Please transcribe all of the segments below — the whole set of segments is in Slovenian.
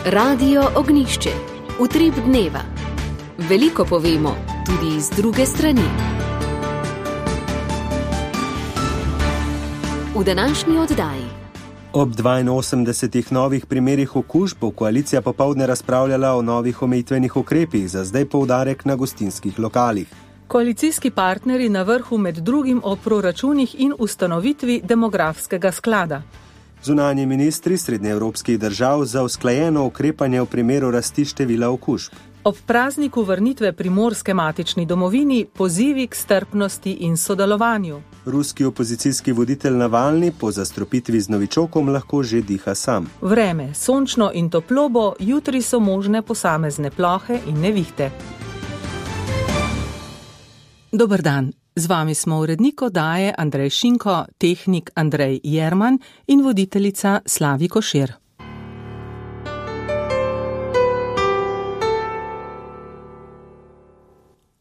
Radio Ognišče, utrip dneva. Veliko povemo, tudi z druge strani. V današnji oddaji. Ob 82 novih primerih okužb bo koalicija popoldne razpravljala o novih omejitvenih ukrepih, za zdaj poudarek na gostinskih lokalih. Koalicijski partnerji na vrhu med drugim o proračunih in ustanovitvi demografskega sklada. Zunanji ministri srednjeevropskih držav za usklajeno ukrepanje v primeru rasti števila okužb. Ob prazniku vrnitve Primorske matični domovini pozivi k strpnosti in sodelovanju. Ruski opozicijski voditelj Navalni po zastrupitvi z novičokom lahko že diha sam. Vreme, sončno in toplo bo, jutri so možne posamezne plohe in nevihte. Dober dan, z vami smo urednik oddaje Andrej Šinko, tehnik Andrej Jerman in voditeljica Slavi Košir.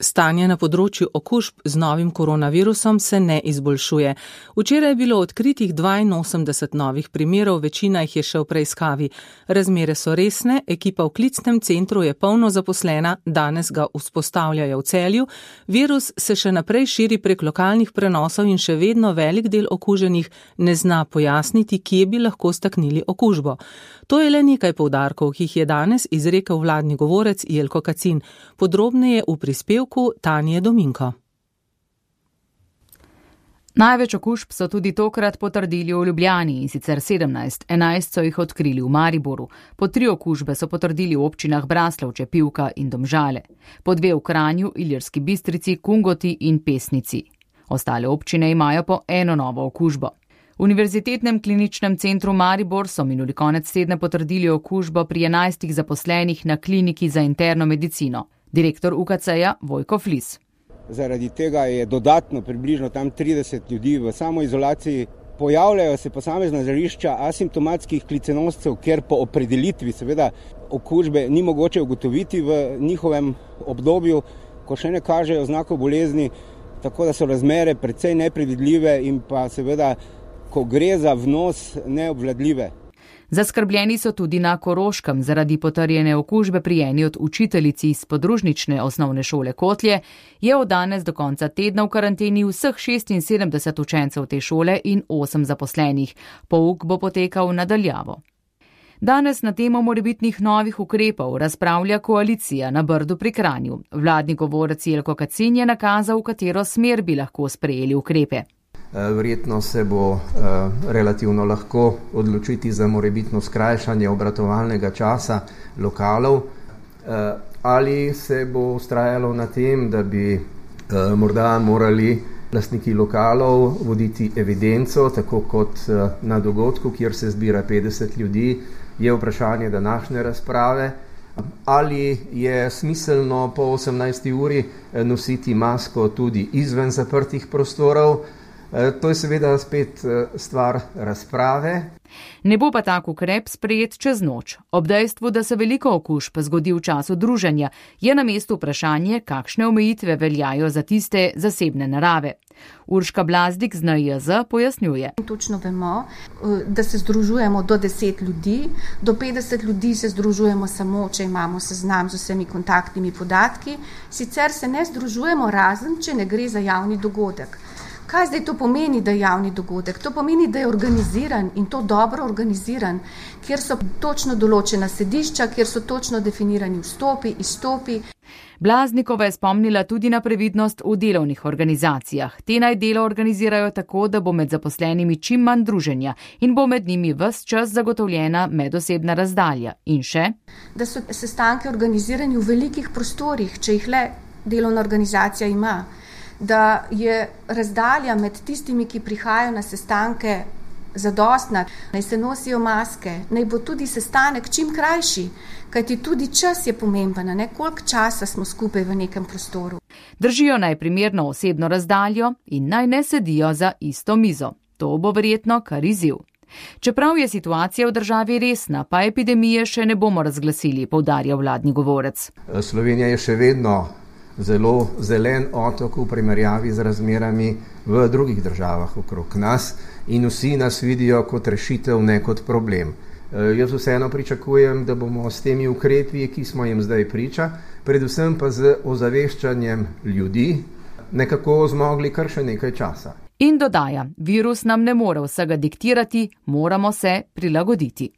Stanje na področju okužb z novim koronavirusom se ne izboljšuje. Včeraj je bilo odkritih 82 novih primerov, večina jih je še v preiskavi. Razmere so resne, ekipa v klicnem centru je polno zaposlena, danes ga vzpostavljajo v Celju. Virus se še naprej širi prek lokalnih prenosov in še vedno velik del okuženih ne zna pojasniti, kje bi lahko staknili okužbo. To je le nekaj poudarkov, ki jih je danes izrekel vladni govorec Jelko Kacin. Podrobneje v prispevku Tanje Dominko. Največ okužb so tudi tokrat potrdili v Ljubljani, in sicer 17, 11 so jih odkrili v Mariboru. Po 3 okužbe so potrdili v občinah Braslovče, Pivka in Domžale. Po 2 v Kranju, Ilirski Bistrici, Kungoti in Pesnici. Ostale občine imajo po 1 novo okužbo. V Univerzitetnem kliničnem centru Maribor so minuli konec tedna potrdili okužbo pri 11 zaposlenih na kliniki za interno medicino. Direktor UKC-ja Vojko Flis. Zaradi tega je dodatno približno tam 30 ljudi v samoizolaciji. Pojavljajo se posamezna žarišča asimptomatskih klicenoscev, ker po opredelitvi seveda okužbe ni mogoče ugotoviti v njihovem obdobju, ko še ne kažejo znakov bolezni, tako da so razmere precej nepredvidljive in pa seveda, ko gre za vnos, neobvladljive. Zaskrbljeni so tudi na Koroškem zaradi potrjene okužbe pri eni od učiteljici iz podružnične osnovne šole Kotlje. Je od danes do konca tedna v karanteni vseh 76 učencev te šole in 8 zaposlenih. Pouk bo potekal nadaljavo. Danes na temo morebitnih novih ukrepov razpravlja koalicija na Brdu pri Kranju. Vladni govorec Jelko Kacin je nakazal, v katero smer bi lahko sprejeli ukrepe. Verjetno se bo relativno lahko odločiti za morebitno skrajšanje obratovalnega časa lokalov, ali se bo vztrajalo na tem, da bi morda morali lastniki lokalov voditi evidenco, tako kot na dogodku, kjer se zbira 50 ljudi, je vprašanje današnje razprave. Ali je smiselno po 18. uri nositi masko tudi izven zaprtih prostorov? To je seveda spet stvar razprave. Ne bo pa tak ukrep sprejet čez noč. Ob dejstvu, da se veliko okužb zgodi v času druženja, je na mestu vprašanje, kakšne omejitve veljajo za tiste zasebne narave. Urška Blazdik z NIJZ pojasnjuje. Točno vemo, da se združujemo do 10 ljudi, do 50 ljudi se združujemo samo, če imamo seznam z vsemi kontaktnimi podatki, sicer se ne združujemo razen, če ne gre za javni dogodek. Kaj zdaj to pomeni, da je javni dogodek? To pomeni, da je organiziran in to dobro organiziran, kjer so točno določena sedišča, kjer so točno definirani vstopi, izstopi. Blaznikova je spomnila tudi na previdnost v delovnih organizacijah. Te naj delo organizirajo tako, da bo med zaposlenimi čim manj druženja in bo med njimi ves čas zagotovljena medosebna razdalja. In še? Da so sestanke organizirani v velikih prostorih, če jih le delovna organizacija ima. Da je razdalja med tistimi, ki prihajajo na sestanke, zadostna, naj se nosijo maske, naj bo tudi sestanek čim krajši, kajti tudi čas je pomemben, ne koliko časa smo skupaj v nekem prostoru. Držijo naj primerno osebno razdaljo in naj ne sedijo za isto mizo. To bo verjetno kar izziv. Čeprav je situacija v državi resna, pa epidemije še ne bomo razglasili, poudarja vladni govorec. Slovenija je še vedno zelo zelen otok v primerjavi z razmerami v drugih državah okrog nas in vsi nas vidijo kot rešitev, ne kot problem. Jaz vseeno pričakujem, da bomo s temi ukrepi, ki smo jim zdaj priča, predvsem pa z ozaveščanjem ljudi, nekako zmogli kar še nekaj časa. In dodaja, virus nam ne more vsega diktirati, moramo se prilagoditi.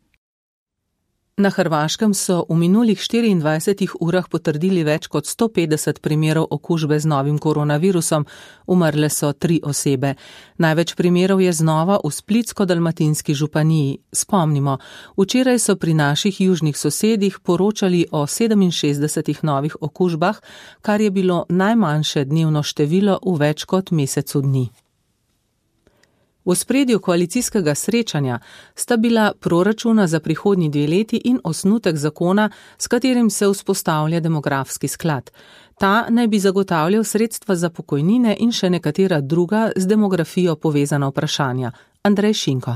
Na Hrvaškem so v minulih 24 urah potrdili več kot 150 primerov okužbe z novim koronavirusom, umrle so 3 osebe. Največ primerov je znova v Splitsko-dalmatinski županiji. Spomnimo, včeraj so pri naših južnih sosedih poročali o 67 novih okužbah, kar je bilo najmanjše dnevno število v več kot mesecu dni. V ospredju koalicijskega srečanja sta bila proračuna za prihodnji 2 leti in osnutek zakona, s katerim se vzpostavlja demografski sklad. Ta naj bi zagotavljal sredstva za pokojnine in še nekatera druga z demografijo povezana vprašanja. Andrej Šinko.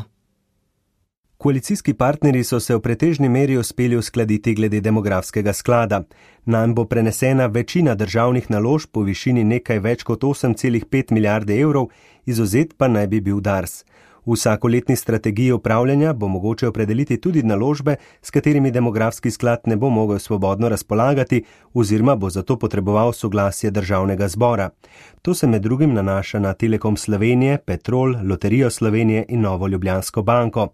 Koalicijski partnerji so se v pretežni meri uspeli uskladiti glede demografskega sklada. Nam bo prenesena večina državnih naložb po višini nekaj več kot 8,5 milijarde evrov, izvzet pa naj bi bil Dars. V vsakoletni strategiji upravljanja bo mogoče opredeliti tudi naložbe, s katerimi demografski sklad ne bo mogel svobodno razpolagati oziroma bo zato potreboval soglasje državnega zbora. To se med drugim nanaša na Telekom Slovenije, Petrol, Loterijo Slovenije in Novo Ljubljansko banko.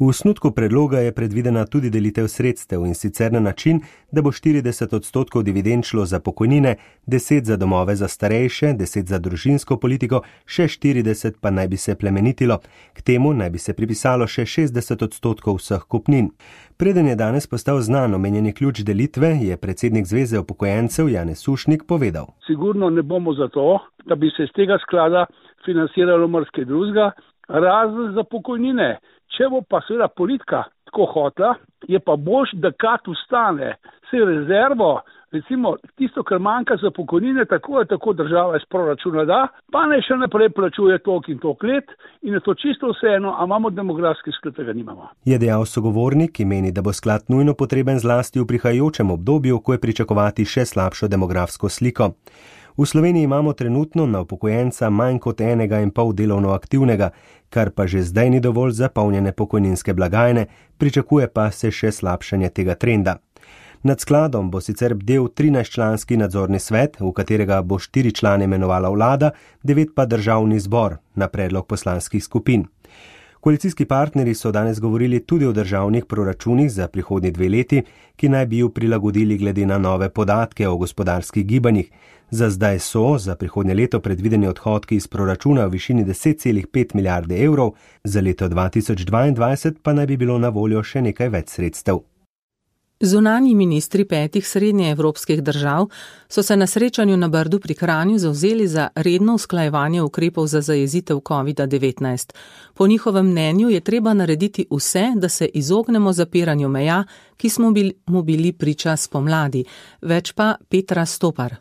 V osnutku predloga je predvidena tudi delitev sredstev in sicer na način, da bo 40% dividend šlo za pokojnine, 10 za domove za starejše, 10 za družinsko politiko, še 40 pa naj bi se plemenitilo. K temu naj bi se pripisalo še 60% vseh kupnin. Preden je danes postal znan omenjeni ključ delitve, je predsednik Zveze upokojencev Janez Sušnik povedal. Sigurno ne bomo za to, da bi se iz tega sklada financiralo marsikaj drugega, razen za pokojnine. Če bo pa seveda politika tako hotla, je pa boljš, da kad ustane se rezervo, recimo tisto, kar manjka za pokojnine, tako država iz proračuna da, pa ne še naprej plačuje toliko in toliko let in je to čisto vseeno, a imamo demografski sklad, tega nimamo. Je dejal sogovornik, ki meni, da bo sklad nujno potreben zlasti v prihajajočem obdobju, ko je pričakovati še slabšo demografsko sliko. V Sloveniji imamo trenutno na upokojenca manj kot 1,5 delovno aktivnega, kar pa že zdaj ni dovolj za polnjene pokojninske blagajne, pričakuje pa se še slabšanje tega trenda. Nad skladom bo sicer bdel 13-članski nadzorni svet, v katerega bo 4 člane imenovala vlada, 9 pa državni zbor na predlog poslanskih skupin. Koalicijski partnerji so danes govorili tudi o državnih proračunih za prihodnji 2 leti, ki naj bi ju prilagodili glede na nove podatke o gospodarskih gibanjih. Za zdaj so za prihodnje leto predvideni odhodki iz proračuna v višini 10,5 milijarde evrov, za leto 2022 pa naj bi bilo na voljo še nekaj več sredstev. Zunanji ministri 5 srednjeevropskih držav so se na srečanju na Brdu pri Kranju zavzeli za redno usklajevanje ukrepov za zajezitev COVID-19. Po njihovem mnenju je treba narediti vse, da se izognemo zapiranju meja, ki smo mu bili priča spomladi. Več pa Petra Stopar.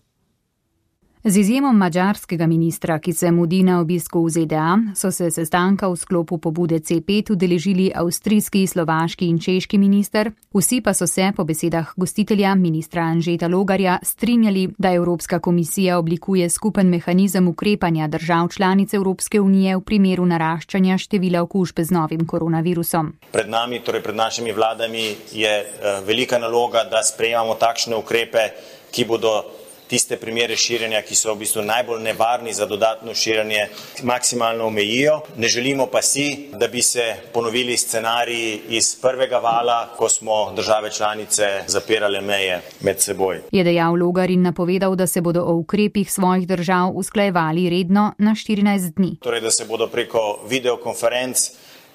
Z izjemom madžarskega ministra, ki se mudi na obisku v ZDA, so se sestanka v sklopu pobude C5 udeležili avstrijski, slovaški in češki minister. Vsi pa so se, po besedah gostitelja ministra Anžeta Logarja, strinjali, da Evropska komisija oblikuje skupen mehanizem ukrepanja držav članic Evropske unije v primeru naraščanja števila okužb z novim koronavirusom. Pred nami, torej pred našimi vladami, je velika naloga, da sprejemamo takšne ukrepe, ki bodo tiste primere širjenja, ki so v bistvu najbolj nevarni za dodatno širjenje, maksimalno omejijo. Ne želimo pa si, da bi se ponovili scenariji iz prvega vala, ko smo države članice zapirale meje med seboj. Je dejal Logar in napovedal, da se bodo o ukrepih svojih držav usklajevali redno na 14 dni. Torej, da se bodo preko videokonferenc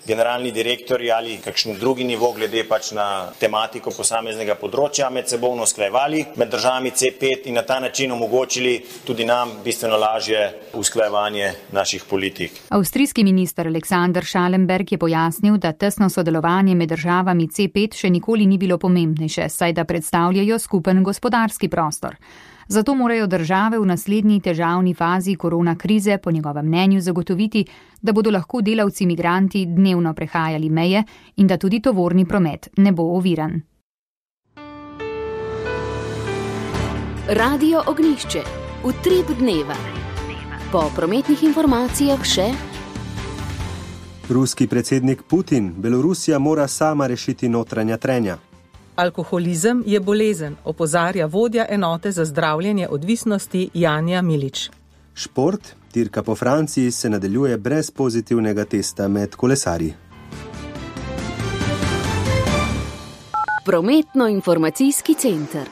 generalni direktori ali kakšen drugi nivo glede pač na tematiko posameznega področja med sebojno usklajevali med državami C5 in na ta način omogočili tudi nam bistveno lažje usklajevanje naših politik. Avstrijski minister Alexander Schallenberg je pojasnil, da tesno sodelovanje med državami C5 še nikoli ni bilo pomembnejše, saj da predstavljajo skupen gospodarski prostor. Zato morajo države v naslednji težavni fazi korona krize po njegovem mnenju zagotoviti, da bodo lahko delavci migranti dnevno prehajali meje in da tudi tovorni promet ne bo oviran. Radio Ognjišče. Utrip dneva. Po prometnih informacijah še Ruski predsednik Putin, Belorusija mora sama rešiti notranja trenja. Alkoholizem je bolezen, opozarja vodja enote za zdravljenje odvisnosti Janja Milič. Šport, dirka po Franciji, se nadaljuje brez pozitivnega testa med kolesarji. Prometno-informacijski center.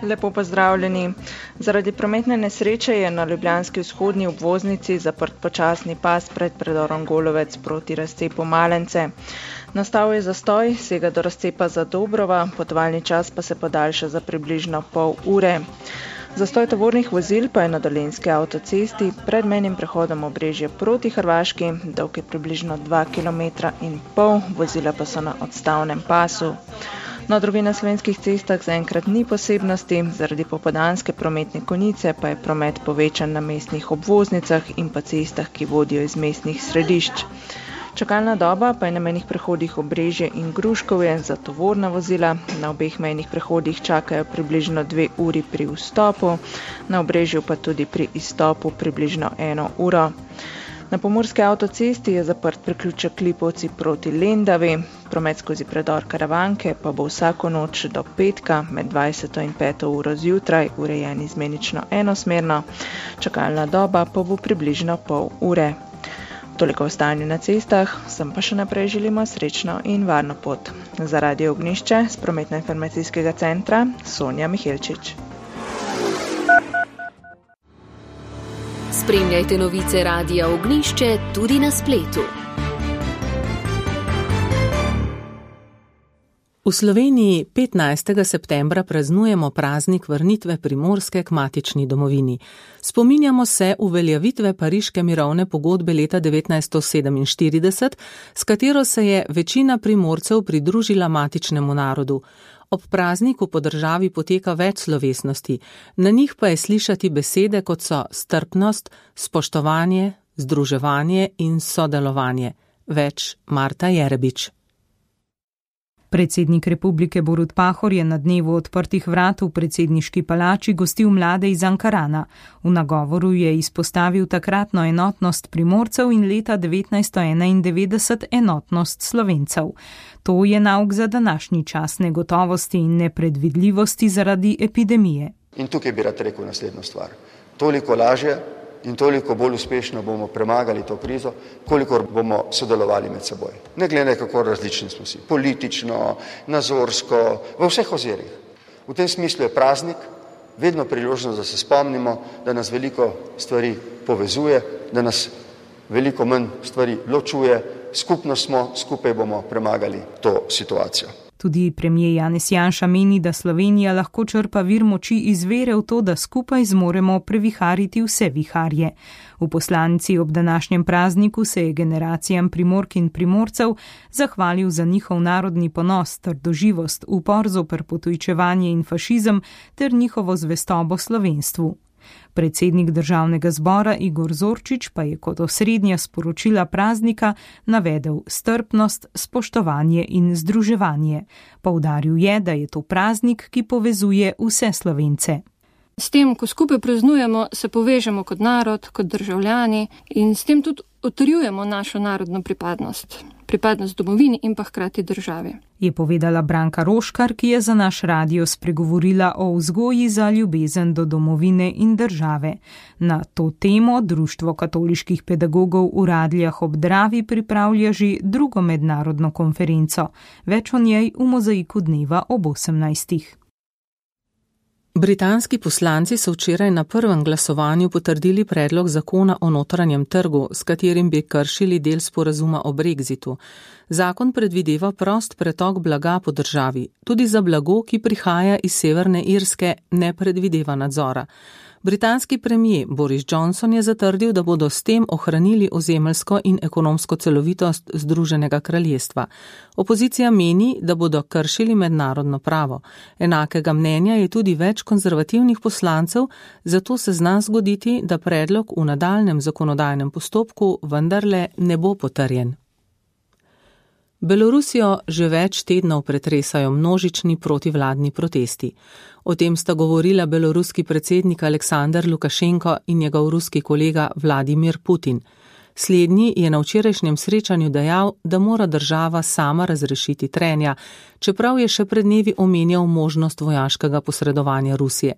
Lepo pozdravljeni. Zaradi prometne nesreče je na ljubljanski vzhodni obvoznici zaprt počasni pas pred predorom Golovec proti razcepu Malence. Nastal je zastoj, sega do razcepa Zadobrova, potovalni čas pa se podaljša za približno pol ure. Zastoj tovornih vozil pa je na dolenjski avtocesti pred mejnim prehodom Obrežje proti Hrvaški, dolg je približno 2,5 km, vozila pa so na odstavnem pasu. Na drugih na slovenskih cestah zaenkrat ni posebnosti, zaradi popoldanske prometne konice pa je promet povečan na mestnih obvoznicah in pa cestah, ki vodijo iz mestnih središč. Čakalna doba pa je na mejnih prehodih Obrežje in Gruškovje za tovorna vozila. Na obeh mejnih prehodih čakajo približno 2 uri pri vstopu, na Obrežju pa tudi pri izstopu približno 1 uro. Na pomurski avtocesti je zaprt priključek Lipovci proti Lendavi, promet skozi predor Karavanke pa bo vsako noč do petka med 20. in 5. uro zjutraj urejen izmenično enosmerno, čakalna doba pa bo približno pol ure. Toliko o stanju na cestah, sem pa še naprej želimo srečno in varno pot. Za Radio Ognjišče z Prometno-informacijskega centra Sonja Mihelčič. Spremljajte novice Radia Ognjišče tudi na spletu. V Sloveniji 15. septembra praznujemo praznik vrnitve Primorske k matični domovini. Spominjamo se uveljavitve Pariške mirovne pogodbe leta 1947, s katero se je večina Primorcev pridružila matičnemu narodu. Ob prazniku po državi poteka več slovesnosti, na njih pa je slišati besede, kot so strpnost, spoštovanje, združevanje in sodelovanje. Več Marta Jerebič. Predsednik republike Borut Pahor je na dnevu odprtih vrat v predsedniški palači gostil mlade iz Ankarana. V nagovoru je izpostavil takratno enotnost Primorcev in leta 1991 enotnost Slovencev. To je nauk za današnji čas negotovosti in nepredvidljivosti zaradi epidemije. In tukaj bi rad rekel naslednjo stvar. Toliko lažje in toliko bolj uspešno bomo premagali to krizo, kolikor bomo sodelovali med seboj. Ne glede kako različni smo si, politično, nazorsko, v vseh ozirih. V tem smislu je praznik vedno priložnost, da se spomnimo, da nas veliko stvari povezuje, da nas veliko manj stvari ločuje, skupno smo, skupaj bomo premagali to situacijo. Tudi premier Janez Janša meni, da Slovenija lahko črpa vir moči iz vere v to, da skupaj zmoremo previhariti vse viharje. V poslanici ob današnjem prazniku se je generacijam Primork in Primorcev zahvalil za njihov narodni ponos, trdoživost, upor zoper potujčevanje in fašizem ter njihovo zvestobo slovenstvu. Predsednik državnega zbora Igor Zorčič pa je kot osrednja sporočila praznika navedel strpnost, spoštovanje in združevanje. Poudaril je, da je to praznik, ki povezuje vse Slovence. S tem, ko skupaj praznujemo, se povežemo kot narod, kot državljani in s tem tudi utrjujemo našo narodno pripadnost domovini in pa hkrati državi. Je povedala Branka Roškar, ki je za naš radio spregovorila o vzgoji za ljubezen do domovine in države. Na to temo Društvo katoliških pedagogov v Radljah ob Dravi pripravlja že drugo mednarodno konferenco. Več o njej v mozaiku dneva ob 18. Britanski poslanci so včeraj na prvem glasovanju potrdili predlog zakona o notranjem trgu, s katerim bi kršili del sporazuma o Brexitu. Zakon predvideva prost pretok blaga po državi. Tudi za blago, ki prihaja iz Severne Irske, ne predvideva nadzora. Britanski premier Boris Johnson je zatrdil, da bodo s tem ohranili ozemeljsko in ekonomsko celovitost Združenega kraljestva. Opozicija meni, da bodo kršili mednarodno pravo. Enakega mnenja je tudi več konzervativnih poslancev, zato se zna zgoditi, da predlog v nadaljnjem zakonodajnem postopku vendarle ne bo potrjen. Belorusijo že več tednov pretresajo množični protivladni protesti. O tem sta govorila beloruski predsednik Aleksandar Lukašenko in njegov ruski kolega Vladimir Putin. Slednji je na včerajšnjem srečanju dejal, da mora država sama razrešiti trenja, čeprav je še pred dnevi omenjal možnost vojaškega posredovanja Rusije.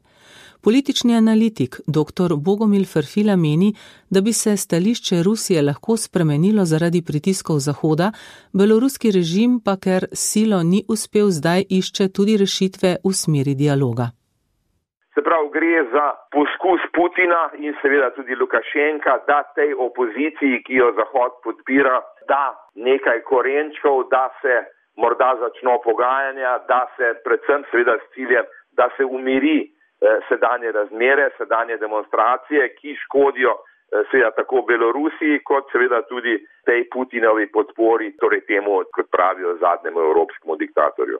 Politični analitik dr. Bogomil Ferfila meni, da bi se stališče Rusije lahko spremenilo zaradi pritiskov Zahoda, beloruski režim pa, ker silo ni uspel, zdaj išče tudi rešitve v smeri dialoga. Se pravi, gre za poskus Putina in seveda tudi Lukašenka, da tej opoziciji, ki jo Zahod podpira, da nekaj korenčkov, da se morda začno pogajanja, da se predvsem seveda s ciljem, da se umiri sedanje razmere, sedanje demonstracije, ki škodijo seveda tako Belorusiji, kot seveda tudi tej Putinovi podpori, torej temu, kot pravijo, zadnjemu evropskemu diktatorju.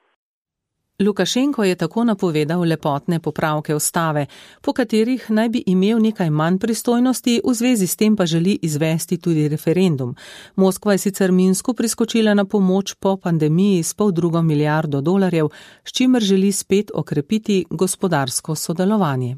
Lukašenko je tako napovedal lepotne popravke ustave, po katerih naj bi imel nekaj manj pristojnosti, v zvezi s tem pa želi izvesti tudi referendum. Moskva je sicer Minsku priskočila na pomoč po pandemiji s $500 milijardo, s čimer želi spet okrepiti gospodarsko sodelovanje.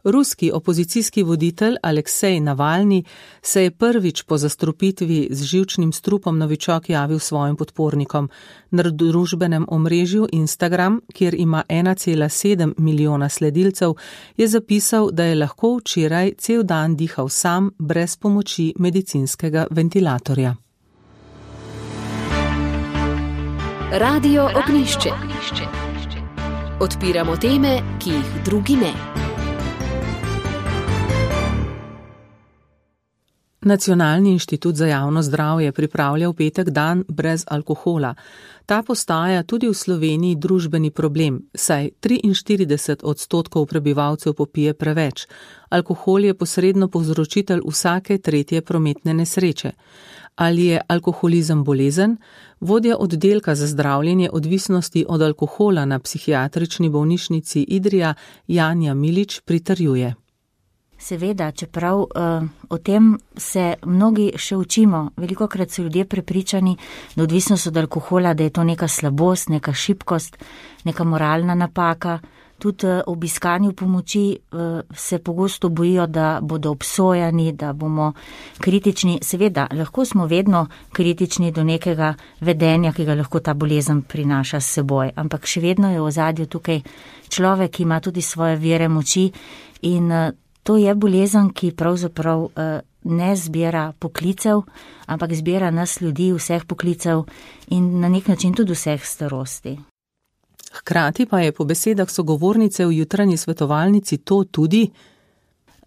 Ruski opozicijski voditelj Aleksej Navalni se je prvič po zastrupitvi z živčnim strupom novičok javil svojim podpornikom. Na družbenem omrežju Instagram, kjer ima 1,7 milijona sledilcev, je zapisal, da je lahko včeraj cel dan dihal sam, brez pomoči medicinskega ventilatorja. Radio Ognjišče. Odpiramo teme, ki jih drugi ne. Nacionalni inštitut za javno zdravje pripravlja v petek dan brez alkohola. Ta postaja tudi v Sloveniji družbeni problem, saj 43% prebivalcev popije preveč. Alkohol je posredno povzročitelj vsake tretje prometne nesreče. Ali je alkoholizem bolezen? Vodja oddelka za zdravljenje odvisnosti od alkohola na psihiatrični bolnišnici Idrija Janja Milič pritrjuje. Seveda, čeprav o tem se mnogi še učimo. Velikokrat so ljudje prepričani, da odvisnost od alkohola, da je to neka slabost, neka šibkost, neka moralna napaka. Tudi ob iskanju pomoči se pogosto bojijo, da bodo obsojani, da bomo kritični. Seveda, lahko smo vedno kritični do nekega vedenja, ki ga lahko ta bolezen prinaša s seboj, ampak še vedno je v ozadju tukaj človek, ki ima tudi svoje vire moči in to je bolezen, ki pravzaprav ne zbira poklicev, ampak zbira nas ljudi, vseh poklicev in na nek način tudi vseh starosti. Hkrati pa je po besedah sogovornice v jutranji svetovalnici to tudi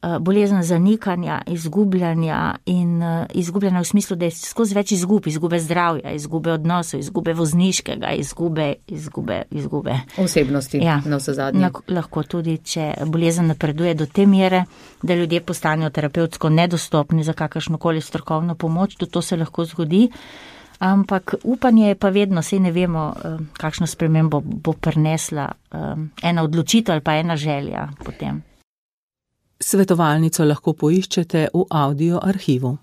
bolezen zanikanja, izgubljanja in izgubljanja v smislu, da je skozi več izgube zdravja, izgube odnosov, izgube vozniškega, izgube osebnosti, ja, na vse zadnje. Lahko tudi, če bolezen napreduje do te mere, da ljudje postanejo terapevtsko nedostopni za kakršnokoli strokovno pomoč, tudi to se lahko zgodi. Ampak upanje je pa vedno, saj ne vemo, kakšno spremembo bo prinesla ena odločitev ali pa ena želja potem. Svetovalnico lahko poiščete v audio arhivu.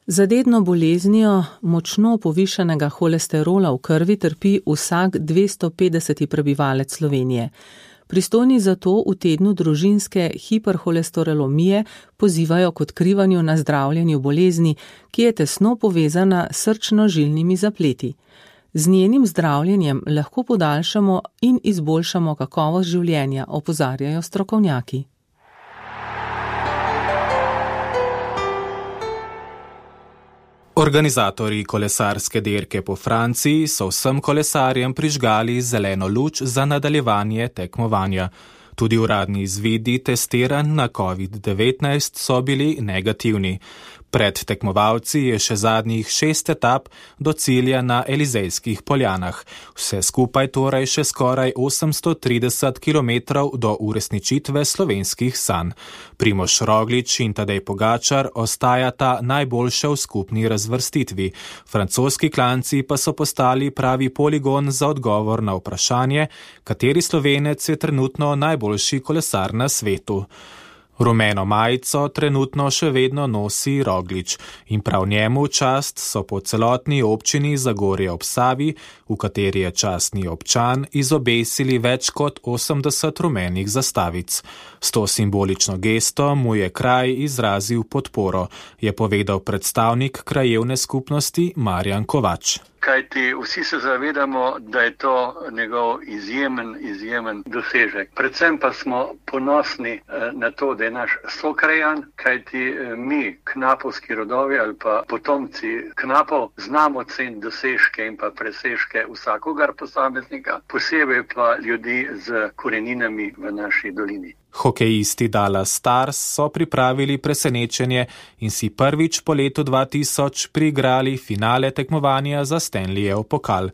Za dedno boleznijo močno povišanega holesterola v krvi trpi vsak 250. prebivalec Slovenije. Pristojni za to v tednu družinske hiperholesterolemije pozivajo k odkrivanju na zdravljenju bolezni, ki je tesno povezana s srčno-žilnimi zapleti. Z njenim zdravljenjem lahko podaljšamo in izboljšamo kakovost življenja, opozarjajo strokovnjaki. Organizatorji kolesarske dirke po Franciji so vsem kolesarjem prižgali zeleno luč za nadaljevanje tekmovanja. Tudi uradni izvidi testiranj na COVID-19 so bili negativni. Pred tekmovalci je še zadnjih 6 etap do cilja na Elizejskih poljanah. Vse skupaj torej še skoraj 830 kilometrov do uresničitve slovenskih sanj. Primož Roglič in Tadej Pogačar ostajata najboljše v skupni razvrstitvi. Francoski klanci pa so postali pravi poligon za odgovor na vprašanje, kateri Slovenec je trenutno najboljši kolesar na svetu. Rumeno majico trenutno še vedno nosi Roglič in prav njemu čast so po celotni občini Zagorje ob Savi, v kateri je častni občan, izobesili več kot 80 rumenih zastavic. S to simbolično gesto mu je kraj izrazil podporo, je povedal predstavnik krajevne skupnosti Marjan Kovač. Kajti vsi se zavedamo, da je to njegov izjemen dosežek. Predvsem pa smo ponosni na to, da je naš sokrajan, kajti mi, knapovski rodovi ali pa potomci knapov, znamo ceniti dosežke in pa presežke vsakogar posameznika, posebej pa ljudi z koreninami v naši dolini. Hokejisti Dallas Stars so pripravili presenečenje in si prvič po letu 2000 priigrali finale tekmovanja za Stanleyev pokal.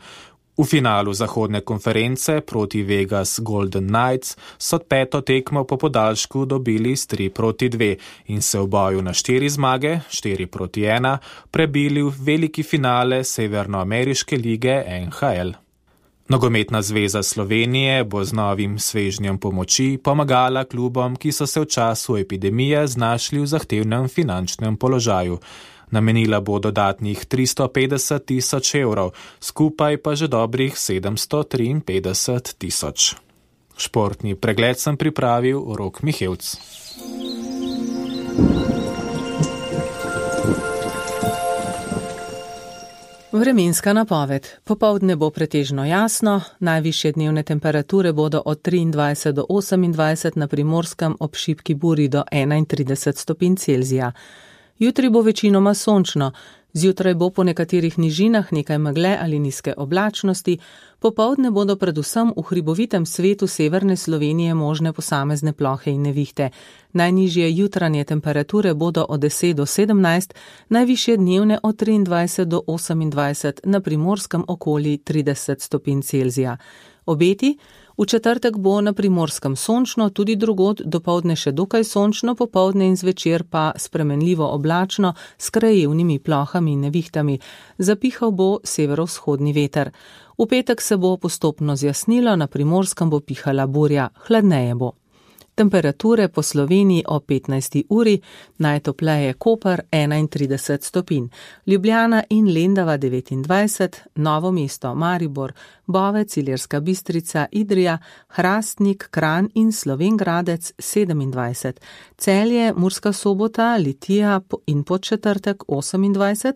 V finalu zahodne konference proti Vegas Golden Knights so 5. tekmo po podaljšku dobili s 3-2 in se v boju na 4 zmage, 4-1, prebili v veliki finale Severnoameriške lige NHL. Nogometna zveza Slovenije bo z novim svežnjem pomoči pomagala klubom, ki so se v času epidemije znašli v zahtevnem finančnem položaju. Namenila bo dodatnih 350 tisoč evrov, skupaj pa že dobrih 753 tisoč. Športni pregled sem pripravil Rok Mihevc. Vremenska napoved. Popoldne bo pretežno jasno, najvišje dnevne temperature bodo od 23 do 28, na Primorskem ob šibki buri do 31 stopinj Celzija. Jutri bo večinoma sončno, zjutraj bo po nekaterih nižinah nekaj megle ali nizke oblačnosti, popoldne bodo predvsem v hribovitem svetu severne Slovenije možne posamezne plohe in nevihte. Najnižje jutranje temperature bodo od 10 do 17, najvišje dnevne od 23 do 28, na Primorskem okoli 30 stopinj Celzija. Obeti? V četrtek bo na Primorskem sončno, tudi drugod dopoldne še dokaj sončno, popoldne in zvečer pa spremenljivo oblačno s krajevnimi plohami in nevihtami. Zapihal bo severovzhodni veter. V petek se bo postopno zjasnilo, na Primorskem bo pihala burja, hladneje bo. Temperature po Sloveniji o 15. uri, najtopleje Koper 31 stopinj, Ljubljana in Lendava 29, Novo mesto, Maribor, Bovec, Ilirska Bistrica, Idrija, Hrastnik, Kranj in Slovenj Gradec 27, Celje, Murska Sobota, Litija in Podčetrtek 28,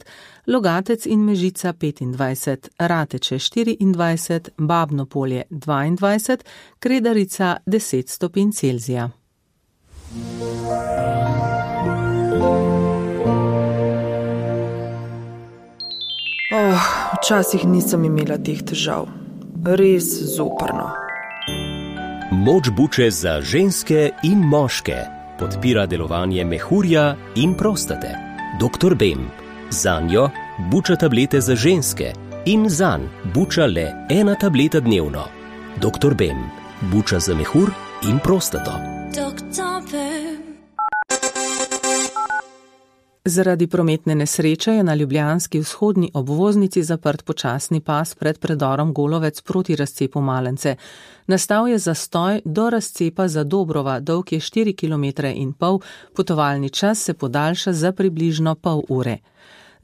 Logatec in Mežica 25, Rateče 24, Babno Polje 22, Kredarica 10 stopinj Celzija. Včasih nisem imela teh težav. Res zoprno. Moč buče za ženske in moške podpira delovanje mehurja in prostate. Dr. Bem. Zanjo buča tablete za ženske in zanj buča le 1 tableta dnevno. Dr. Bem. Buča za mehur in prostato. Zaradi prometne nesreče je na ljubljanski vzhodni obvoznici zaprt počasni pas pred predorom Golovec proti razcepu Malence. Nastal je zastoj do razcepa Zadobrova, dolg je 4,5 km, potovalni čas se podaljša za približno pol ure.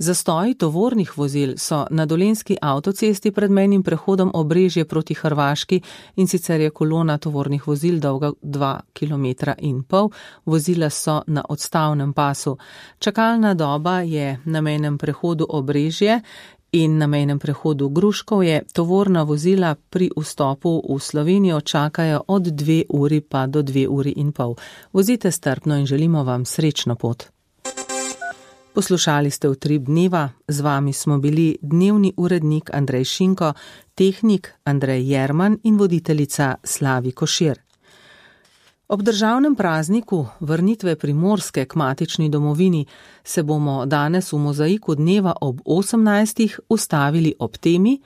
Zastoji tovornih vozil so na dolenjski avtocesti pred mejnim prehodom Obrežje proti Hrvaški, in sicer je kolona tovornih vozil dolga 2,5 km, vozila so na odstavnem pasu. Čakalna doba je na mejnem prehodu Obrežje in na mejnem prehodu Gruškovje. Tovorna vozila pri vstopu v Slovenijo čakajo od 2 uri pa do 2,5 uri. Vozite strpno in želimo vam srečno pot. Poslušali ste Utrip dneva, z vami smo bili dnevni urednik Andrej Šinko, tehnik Andrej Jerman in voditeljica Slavi Košir. Ob državnem prazniku vrnitve Primorske k matični domovini se bomo danes v mozaiku dneva ob 18. ustavili ob temi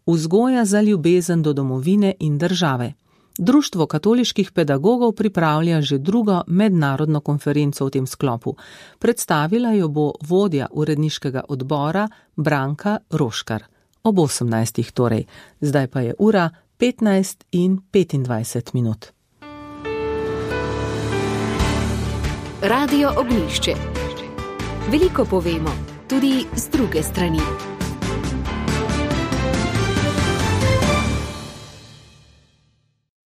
Vzgoja za ljubezen do domovine in države. Društvo katoliških pedagogov pripravlja že drugo mednarodno konferenco v tem sklopu. Predstavila jo bo vodja uredniškega odbora Branka Roškar. Ob 18. torej. Zdaj pa je ura 15:25. Radio Ognjišče. Veliko povemo, tudi z druge strani.